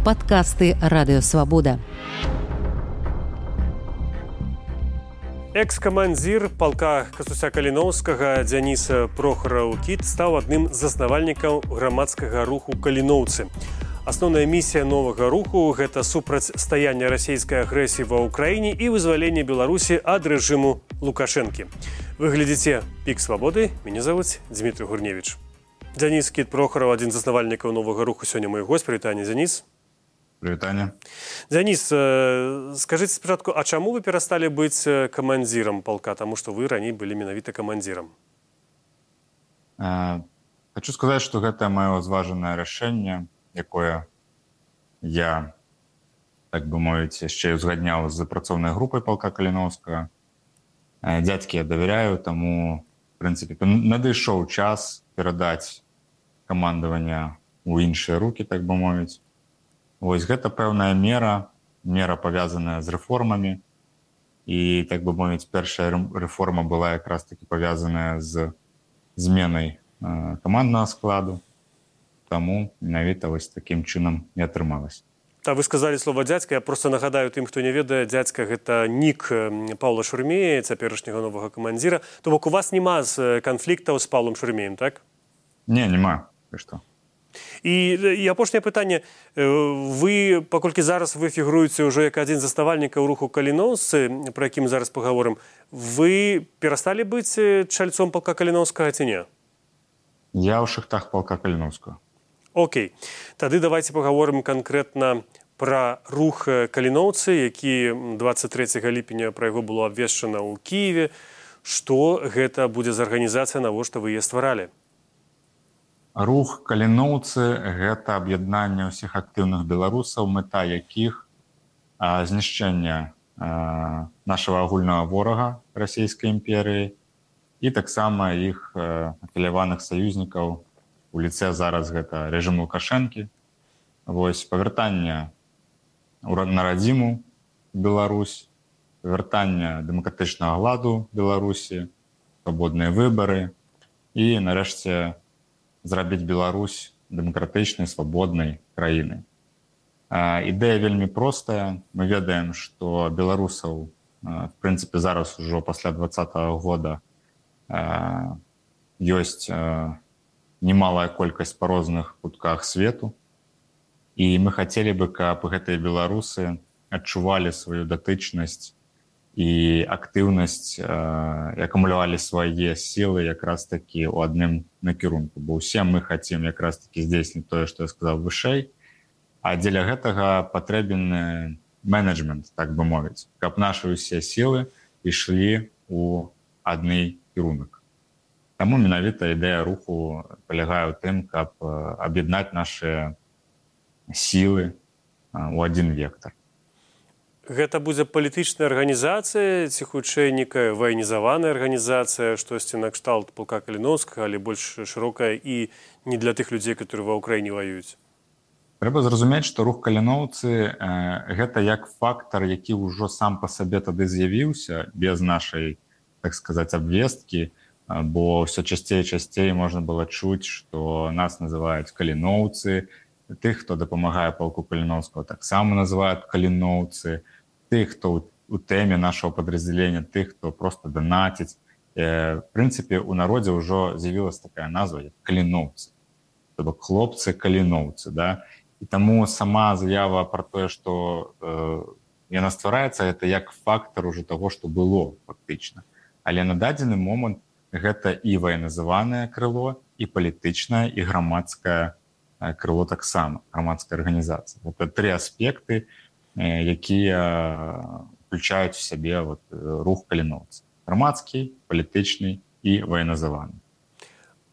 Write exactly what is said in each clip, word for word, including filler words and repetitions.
Падкасты Радыёвабода. Экс-камандзір палка Кастуся Каліноўскага Дзяніс Прохараў-Кіт стаў адным з заснавальнікаў грамадскага руху «Каліноўцы». Асноўная місія новага руху – гэта супрацьстаянне расійскай агрэсіі ва ўкраіне і вызваленне Беларусі ад рэжыму Лукашэнкі. Вы глядзіце «Пік свабоды». Мяне завуць Дмітрий Гурневіч. Дзяніс Кіт Прохараў, адзін з заснавальнікаў новага руху, сёння мой госць. Прывітанне, Дзяніс. Прывітанне. Дзяніс, скажыце спачатку, а чаму вы перасталі быць камандзірам палка? Таму што вы раней былі менавіта камандзірам. Э, хочу сказаць, што гэта маё зважанае рашэнне, якое я, так бы мовіць, яшчэ ўзгадняў з працоўнай групай палка Каліноўскага. Э, дзядзькі я давяряю, таму, в прынцыпе, надышоў час перадаць камандаванне ў іншыя рукі, так бы мовіць. Вось гэта пэўная мера, мера павязаная з рэформамі. І, так бы мовіць, першая рэформа была якраз таки павязаная з зменай э, каманднага складу. Таму менавіта вось такім чынам і атрымалася. Та вы сказалі слова дзядзька. Я просто нагадаю тым, хто не ведае, дзядзька гэта нік Паўла Шурмея, цяперашняга новага камандзіра. То бок у вас няма з канфліктаў з Паўлам Шурмеем, так? Не, няма. Ты што? І, і апошняе пытанне. Вы, паколькі зараз вы фігуруеце ўжо як адзін з заснавальнікаў руху «Каліноўцы», пра які мы зараз пагаворым, вы перасталі быць чальцом палка Каліноўскага ці не? Я ў шахтах палка Каліноўскага. Окей. Тады давайте пагаворым канкрэтна пра рух «Каліноўцы», які дваццаць трэцяга ліпеня пра яго было абвешчана ў Кіеве. Што гэта будзе за арганізацыя, навошта вы яе стваралі? Рух «Каліноўцы» – гэта аб'яднанне ўсіх актыўных беларусаў, мэта якіх а, знішчэння а, нашага агульнага ворага расійскай імперыі і таксама іх а, афіляваных саюзнікаў у ліцэ зараз гэта рэжым Лукашэнкі. Вось павяртанне на радзіму Беларусь, павяртанне дэмакратычнага ладу Беларусі, свабодныя выбары і, нарэшце, зрабіць Беларусь дэмакратычнай, свабоднай краінай. Ідэя вельмі простая. Мы ведаем, што беларусаў, в прынцыпе, зараз ужо пасля двадцатага года ёсць немалая колькасць па розных кутках свету. І мы хацелі бы, каб гэтыя беларусы адчувалі сваю датычнасць і актыўнасць, і акумулявалі свае сілы якраз такі ў адным накірунку. Бо ўсе мы хацім якраз такі здзейсніць тое, што я сказаў вышэй, а дзеля гэтага патрэбен менеджмент, так бы мовіць, каб нашы ўсе сілы ішлі ў адны кірунак. Таму менавіта ідэя руху палягае ў тым, каб аб'яднаць нашы сілы ў адзін вектар. Гэта будзе палітычная арганізацыя ці хутчэй некая ваенізаваная арганізацыя, штосьці накшталт палка Каліноўскага, але больш шырокая і не для тых людзей, которые ва ўкраіне ваююць? Трэба зразумець, што рух «Каліноўцы» – гэта як фактар, які ўжо сам па сабе тады з'явіўся без нашай, так сказаць, абвесткі, бо ўсё часцей і часцей можна было чуць, што нас называюць «Каліноўцы», тых, хто дапамагае палку Каліноўскага, таксама называюць «Каліноўцы», тых, хто у тэме нашого падраздзялення, тых, хто просто данаціць. В прынцыпе, у народзе ўжо з'явілася такая назва, як «Каліноўцы». То бок хлопцы Каліноўцы, да? І таму сама заява пра тое, што э, яна ствараецца, гэта як фактар уже таго, што было фактычна. Але на дадзены момант гэта і ваенізаванае крыло, і палітычнае, і грамадскае крыло таксама, грамадская арганізацыя. Гэта тры аспекты, якія включаюць в сябе вот, рух «Каліноўцы». Грамадскі, палітычны і ваенізаваны.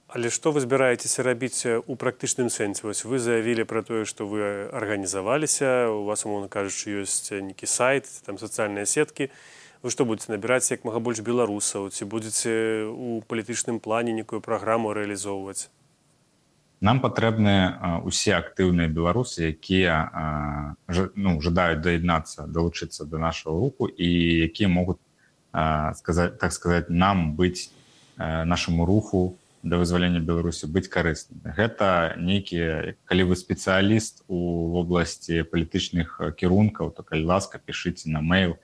Але што вы збіраецеся рабіць у практычным сэнсе? Вось вы заявілі пра тое, што вы арганізаваліся, у вас, умоўна кажучы, ёсць нейкі сайт, там сацыяльныя сеткі. Вы што будзеце набіраць як мага больш беларусаў? Ці будзеце у палітычным плане некую праграму рэалізоўваць? Нам патрэбны усе актыўныя беларусы, якія ну, жадаюць даяднацца, далучыцца да нашага руху і якія могуць, сказаць, так сказаць, нам быць нашаму руху да вызвалення Беларусі быць карысным. Гэта нейкі, калі вы спецыяліст у вобласці палітычных кірункаў, то калі ласка, пішыце на мэйл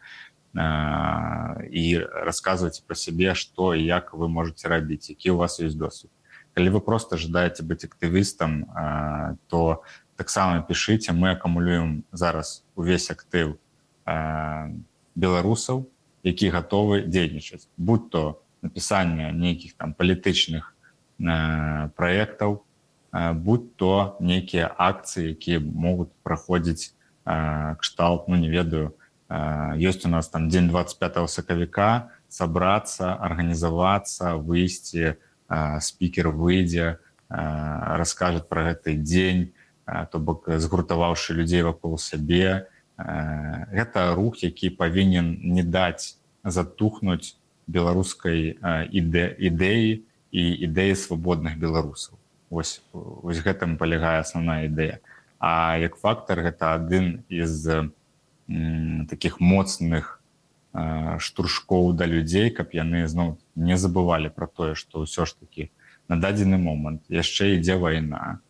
і расказвайце пра сябе, што і як вы можаце рабіць, які ў вас ёсць досвед. Калі вы проста жадаеце быць актывістам, то таксама пішыце, мы акумулюем зараз увесь актыў беларусаў, які гатовы дзейнічаць, будь то напісанне нейкіх там палітычных праектаў, будь то нейкія акцыі, якія могуць праходзіць кшталт, ну не ведаю, ёсць у нас там дзень двадцать пятого сакавіка, сабрацца, арганізавацца, выйсці, спікер выйдзе, раскажа пра гэты дзень, то бок згуртаваўшы людзей вакол сябе. Гэта рух, які павінен не даць затухнуць беларускай ідэі і ідэі свабодных беларусаў. Вось, вось гэтым палягае асноўная ідэя. А як фактар, гэта адзін з м, такіх моцных э, штуршкоў да людзей, каб яны зноў не забывалі пра тое, што ўсё ж такі на дадзены момант яшчэ ідзе вайна.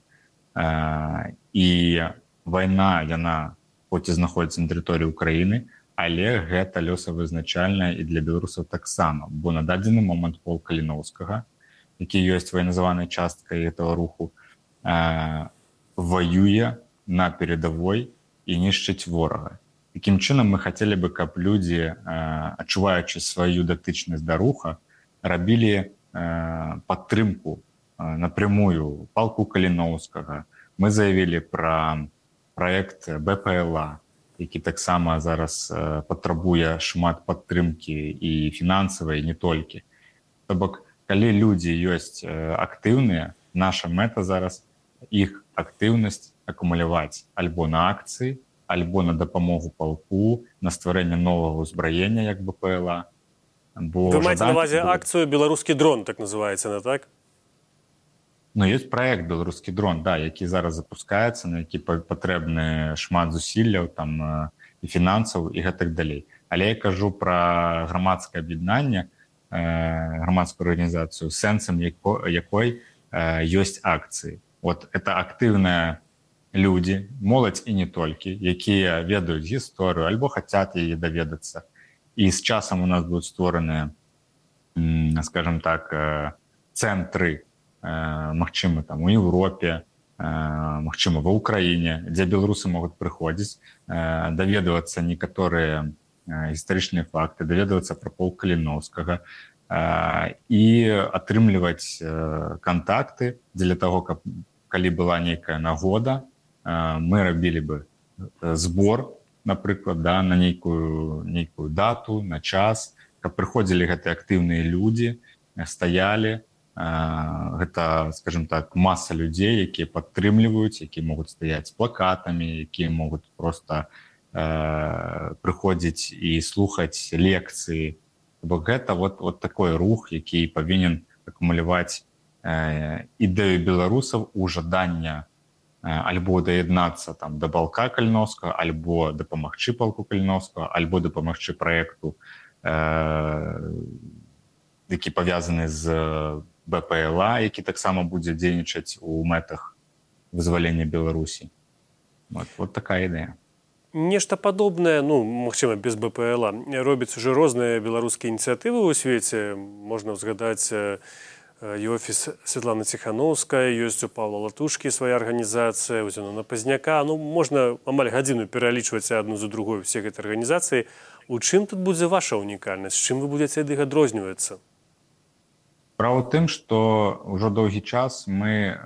Э, і вайна, яна хоць і знаходзіцца на тэрыторыі Украіны, але гэта лёсавызначальна і для беларусаў таксама, бо на дадзены момант полк Каліноўскага, які ёсць ваенназаванай часткай гэтага руху, э, воюе на передавой і нішчыць ворага. Такім чынам мы хацелі бы, каб людзі, э, адчуваючы сваю датычнасць да руха, рабілі э, падтрымку э, напрямую палку Каліноўскага. Мы заявілі пра праект бэ пэ эл а, які таксама зараз э, патрабуе шмат падтрымкі і фінансавай, не толькі. То бок, калі людзі ёсць актыўныя, наша мэта зараз іх актыўнасць акумуляваць альбо на акцыі, альбо на дапамогу палку, на стварэнне новага ўзбраення, як бэ пэ эл а. Вы маеце на ўвазе акцыю «Беларускі дрон», так называецца, не так? Ну, ёсць праект «Беларускі дрон», да, які зараз запускаецца, на які патрэбны шмат зусілляў, там, і фінансаў, і гэтак далей. Але я кажу пра грамадскае аб'яднанне, грамадскую арганізацыю, сэнсам якой ёсць акцыі. Вот это актыўныя людзі, моладзь і не толькі, якія ведаюць гісторыю альбо хацяць яе даведацца. І з часам у нас будуць створаныя, скажем так, цэнтры, магчыма, там у Еўропе, магчыма, ва Ўкраіне, дзе беларусы могуць прыходзіць, даведвацца некаторыя гістарычныя факты, даведвацца пра полк Каліноўскага і атрымліваць кантакты дзеля таго, каб калі была нейкая нагода, мы рабілі бы збор, напрыклад, да, на нейкую, нейкую дату, на час, каб прыходзілі гэтыя актыўныя людзі, стаялі. Гэта, скажем так, маса людзей, якія падтрымліваюць, якія могуць стаяць з плакатамі, якія могуць проста прыходзіць і слухаць лекцыі. Бо гэта вот, вот такой рух, які павінен акумуляваць э, ідэю беларусаў у жадання э, альбо даяднацца там да палка Каліноўскага, альбо дапамагчы палку Каліноўскага, альбо дапамагчы праекту, э, які павязаны з бэ пэ эл а, які таксама будзе дзейнічаць у мэтах вызвалення Беларусі. Вот, вот такая ідэя. Нешта падобнае, ну, магчыма, без бэ пэ эл а, робяць уже розныя беларускія ініцыятывы ў свеце. Можна ўзгадаць і офіс Святланы Ціханаўскай, ёсць у Павла Латушкі свая арганізацыя, у Зенона Пазняка. Ну, можна амаль гадзіну пералічваць адну за другой усе гэтыя арганізацыі. У чым тут будзе ваша унікальнасць? Чым вы будзеце ад іх адрознівацца? Справа ў тым, што ўжо доўгі час мы э,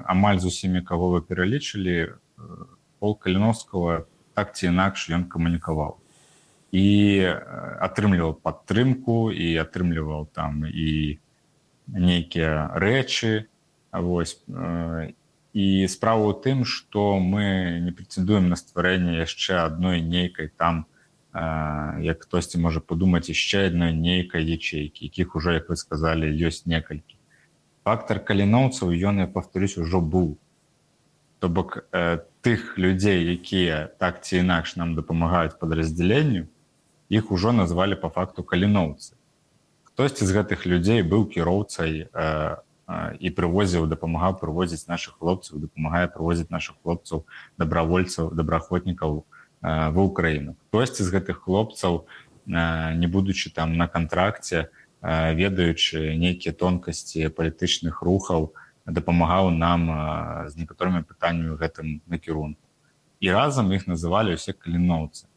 амаль з усімі, каго вы пералічылі, э, полк Каліноўскага так ці інакш ён камунікаваў. І э, атрымліваў падтрымку, і атрымліваў там і нейкія рэчы. Вось. Э, і справа ў тым, што мы не прэтэндуем на стварэнне яшчэ адной нейкай там, як хтосьці можа падумаць, яшчэ адной нейкай ячейкі, якіх ужо, як вы сказалі, ёсць некалькі. Фактар каліноўцаў, ён, я паўторюсь, ужо быў. То бок э, тых людзей, якія так ці інакш нам дапамагаюць падраздзяленню, іх ужо назвалі па факту каліноўцы. Хтосьці з гэтых людзей быў кіроўцай э, і прывозіў, дапамагаў прывозіць нашых хлопцаў, дапамагае прывозіць нашых хлопцаў, добравольцаў, добраахвотнікаў ва ўкраіну. Хтосьці з гэтых хлопцаў, не будучы там на кантракце, ведаючы нейкія тонкасці палітычных рухаў, дапамагаў нам з некаторымі пытаннямі ў гэтым накірунку. І разам іх называлі ўсе каліноўцы.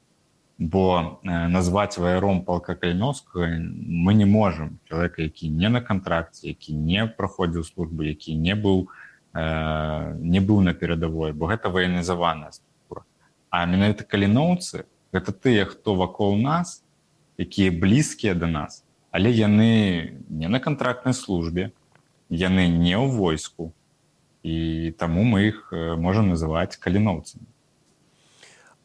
Бо назваць ваяром палка Каліноўскага мы не можам чалавека, які не на кантракце, які не праходзіў службу, які не быў, не быў на перадавой, бо гэта ваенізаваная структура. А менавіта каліноўцы – гэта тыя, хто вакол нас, якія блізкія да нас, але яны не на кантрактнай службе, яны не ў войску, і таму мы іх можам называць каліноўцамі.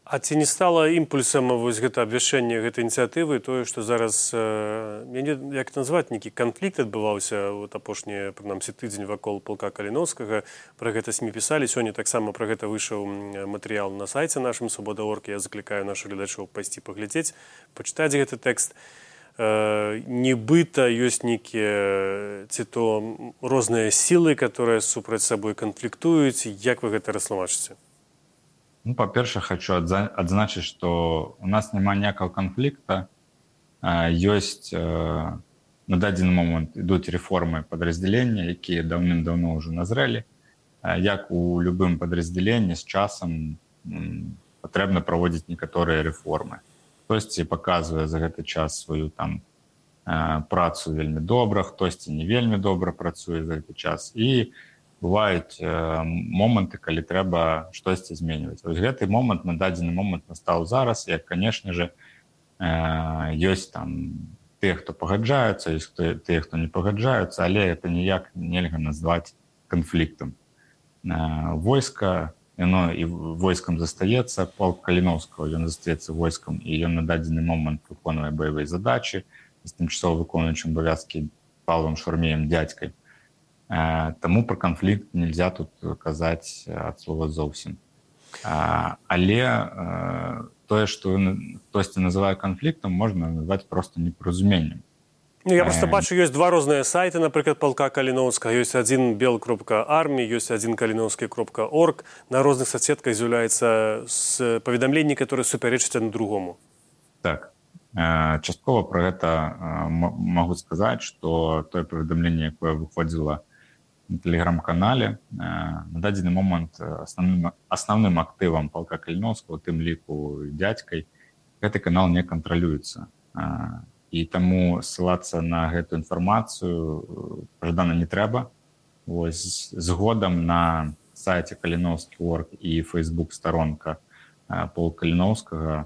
А ці не стала імпульсам вось гэта абвяшчэнне гэтай ініцыятывы тое, што зараз, я не як назваць, нейкі канфлікт адбываўся вот апошні, прынамсі, тыдзень вакол палка Каліноўскага, пра гэта СМІ пісалі, сёння таксама пра гэта выйшаў матэрыял на сайце нашым свабода точка орг. Я заклікаю нашых гледачоў пайсці паглядзець, пачытаць гэты тэкст. Нібыта ёсць нейкія ці то розныя сілы, которые супраць сабой канфліктуюць. Як вы гэта растлумачыце? Ну, па-першае, хочу адзначыць, што у нас няма ніякага канфлікта. Ёсць на дадзены момант ідуць рэформы падраздзялення, якія даўным-даўно ўжо назрэлі. Як у любым падраздзяленні з часам патрэбна праводзіць некаторыя рэформы. Хтосьці паказвае за гэты час сваю там працу вельмі добра, хтосьці не вельмі добра працуе за гэты час. І бываюць моманты, калі трэба штосьці зменьваць. Вось гэты момант на дадзены момант настаў зараз, як, канешне же, ёсць там тыя, хто пагаджаюцца, ёсць тыя, хто не пагаджаюцца, але это ніяк нельга назваць канфліктам. Войска, яно і войскам застаецца, палк Каліноўскага, ён застаецца войскам, і ён на дадзены момант выконвае баявыя задачы з тымчасова выконваючым абавязкі Павлам Шурмеем дядзькай. Таму пра канфлікт нельзя тут казаць ад слова зовсім. Але тое, што хтосьці называе канфліктам, можна назваць проста непаразуменнем. Я просто бачу, ёсць два розныя сайты, напрыклад, палка Каліноўскага. Ёсць адзін бел кропка армі, ёсць адзін каліноўскі кропка орг. На розных соцсетках з'яўляецца паведамленні, которые супярэчаць адно другому. Так. Часткова пра гэта магу сказаць, што тое паведамленне, якое выходзіла на тэлеграм-канале, на дадзены момант асноўным, асноўным актывам палка Каліноўскага, у тым ліку дзядзькай, гэты канал не кантралюецца. І таму ссылацца на гэту інфармацыю пажадана не трэба. Вось згодам на сайце каліноўскі точка орг і фэйсбук-старонка полка Каліноўскага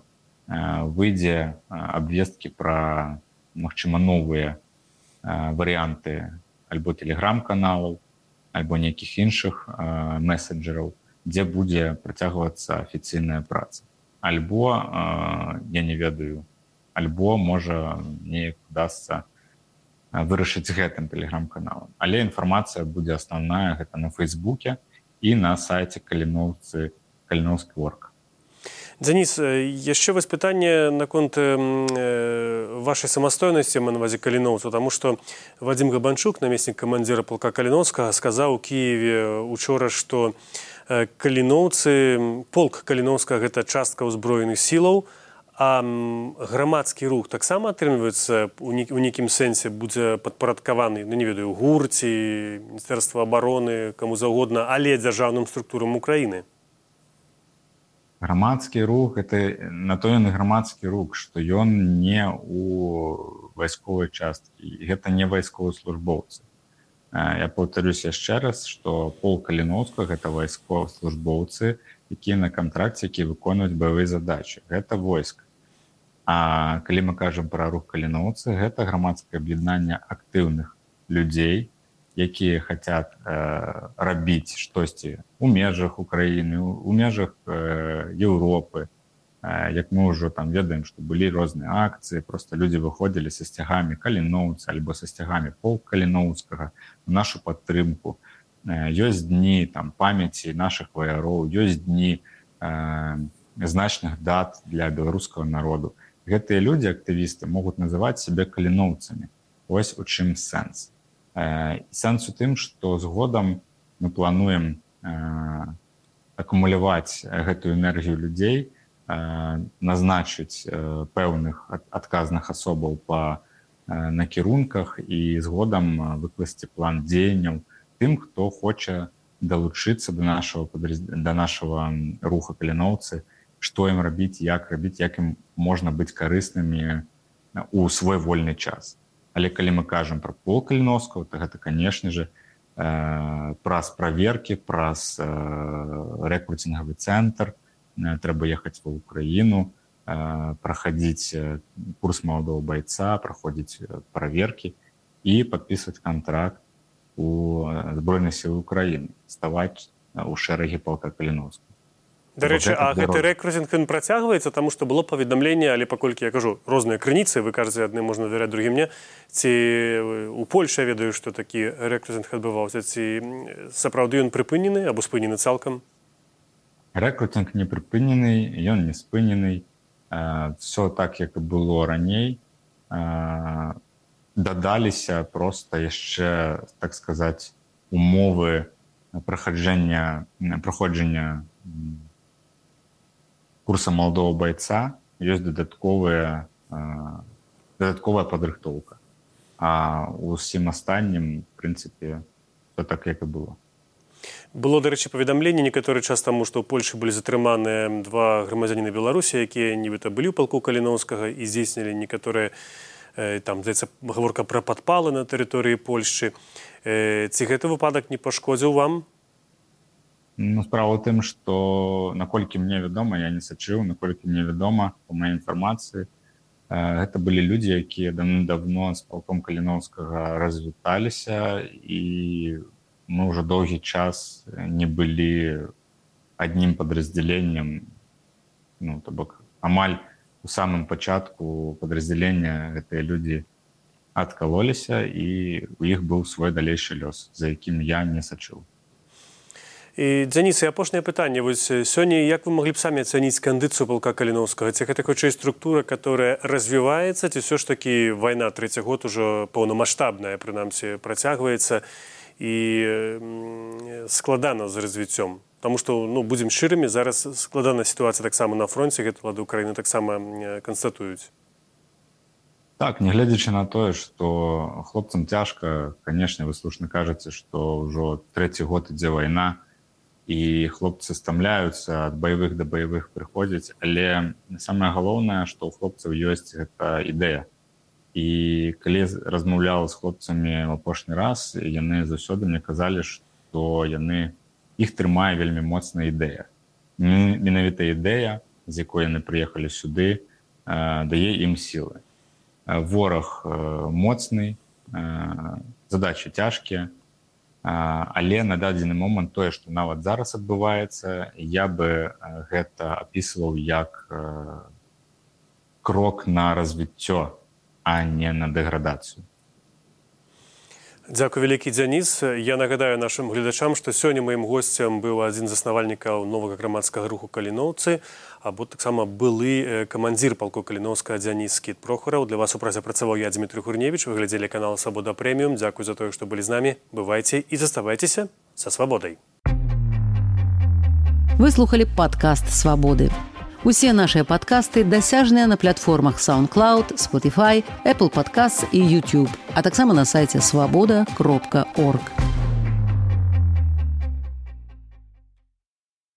выйдзе абвесткі пра, магчыма, новыя варыянты альбо тэлеграм-каналаў, альбо нейкіх іншых месенджераў, дзе будзе працягвацца афіцыйная праца. Альбо, я не ведаю, альбо, можа, неяк удасца вырашыць гэтым тэлеграм-каналам. Але інфармацыя будзе асноўная, гэта на Фейсбуке і на сайце Каліноўцы, каліноўскі точка орг. Дзяніс, яшчэ вось пытанне наконт вашай самастойнасці, на ўвазе каліноўцаў, таму што Вадзім Габанчук, намеснік камандзіра палка Каліноўскага, сказаў у Кіеве учора, што каліноўцы, полк Каліноўскага – гэта частка ўзброеных сілаў, а грамадскі рух таксама атрымліваецца у нейкім сэнсе будзе падпарадкаваны, ну не ведаю, ГУР ці Міністэрства абароны, каму заўгодна, але дзяржаўным структурам Украіны. Грамадскі рух, это на то ён і грамадскі рух, што ён не у вайсковай часткі, гэта не вайсковаслужбоўцы. Я паўтарюсь яшчэ раз, што полк Каліноўскага – гэта вайсковаслужбоўцы, якія на кантракце, якія выконваюць баявыя задачы. Гэта войска. А калі мы кажам пра рух каліноўцы, гэта грамадскае аб'яднанне актыўных людзей, якія хацяць э, рабіць штосьці у межах Украіны, у межах э, Еўропы. Э, як мы ўжо там ведаем, што былі розныя акцыі, проста людзі выходзілі са сцягамі Каліноўца альбо са сцягамі полк Каліноўскага в нашу падтрымку. Э, ёсць дні там памяці нашых ваяроў, ёсць дні э, значных дат для беларускага народу. Гэтыя людзі, актывісты, могуць называць сябе каліноўцамі. Вось у чым сэнс. Сэнс у тым, што згодам мы плануем акумуляваць гэтую энергію людзей, назначыць пэўных адказных асобаў па накірунках і згодам выкласці план дзеянняў тым, хто хоча далучыцца да нашага, да нашага руха каліноўцы, што ім рабіць, як рабіць, як ім можна быць карыснымі у свой вольны час. Але калі мы кажам пра пол каліноўскага, то гэта, канешне же, праз праверкі, праз рэкруцінгавы цэнтр, трэба ехаць ва ўкраіну, праходить курс молодого бойца, проходить проверки и подписывать контракт у Збройных сил Украины, ставать у шэрагі полка Каліноўскага. До речі, а гэты рэкрутинг він працягваецца, тому што было паведамленне, але паколькі я кажу, розныя крыніцы, вы кажаце, адным можна давяраць, другім не. Ці у Польшы я ведаю, што такі рэкрутинг адбываўся, ці сапраўды ён прыпынены або спынены цалкам? Рэкрутинг не прыпынены, ён не спынены. Все так, як і было раней. Дадаліся просто яшчэ, так сказаць, умовы праходжання, праходжання курса молодого бойца, ёсць дадатковая, дадатковая падрыхтоўка. А усім астатнім, в прынцыпе, все так, як і было. Было, до речі, паведамленне некаторы час таму, што ў Польшы былі затрыманыя два грамадзяніны Беларусі, якія нібыта былі ў палку Каліноўскага і здзейснілі некаторыя, там, здаецца, гаворка пра падпалы на тэрыторыі Польшчы. Ці гэты выпадак не пашкодзіў вам? Ну, справа ў тым, што, наколькі мне вядома, я не сачыў, наколькі мне вядома, па маёй інфармацыі, гэта былі людзі, якія давно з палком Каліноўскага развіталіся, і мы ўжо доўгі час не былі аднім падраздзяленнем, ну, то бок, амаль у самым пачатку падраздзялення гэтыя людзі адкалоліся, і у іх быў свой далейшы лёс, за якім я не сачыў. І, Дзяніс, і апошняе пытанне. Вось сёння як вы маглі б самі ацаніць кандыцыю палка Каліноўскага? Ці гэта хутчэй структура, которая развіваецца, ці ўсё ж такі вайна трэці год ужо паўнамаштабная, прынамсі, працягваецца і складана з развіццём? Таму што, ну, будзем шчырымі, зараз складаная сітуацыя таксама на фронце, гэта ўлады Украіны таксама канстатуюць. Так, нягледзячы на тое, што хлопцам цяжка, канешне, вы слушна кажаце, што ўжо трэці год ідзе вайна, і хлопцы стамляюцца, ад баявых да баявых прыходзяць, але самае галоўнае, што ў хлопцаў ёсць гэта ідэя. І калі размаўляла з хлопцамі ў апошні раз, яны заўсёды мне казалі, што яны, іх трымае вельмі моцная ідэя. Менавіта ідэя, з якой яны прыехалі сюды, дае ім сілы. Вораг моцны, задачы цяжкія, але на дадзены момант тое, што нават зараз адбываецца, я бы гэта апісваў як крок на развіццё, а не на дэградацыю. Дзякуй вялікі, Дзяніс. Я нагадаю нашым гледачам, што сёння маім госцем быў адзін з заснавальнікаў новага грамадскага руху Каліноўцы, або таксама былы камандзір палку Каліноўскага Дзяніс Кіт Прохараў. Для вас у празе працаваў я, Дмітрий Гурневіч. Вы глядзелі канал Свабода Прэміум. Дзякуй за тое, што былі з намі. Бывайце і заставайцеся са свабодай. Вы слухали падкаст «Свабоды». Усе нашыя падкасты дасяжныя на платформах SoundCloud, Spotify, Apple Podcasts і YouTube, а таксама на сайце свабода кропка орг.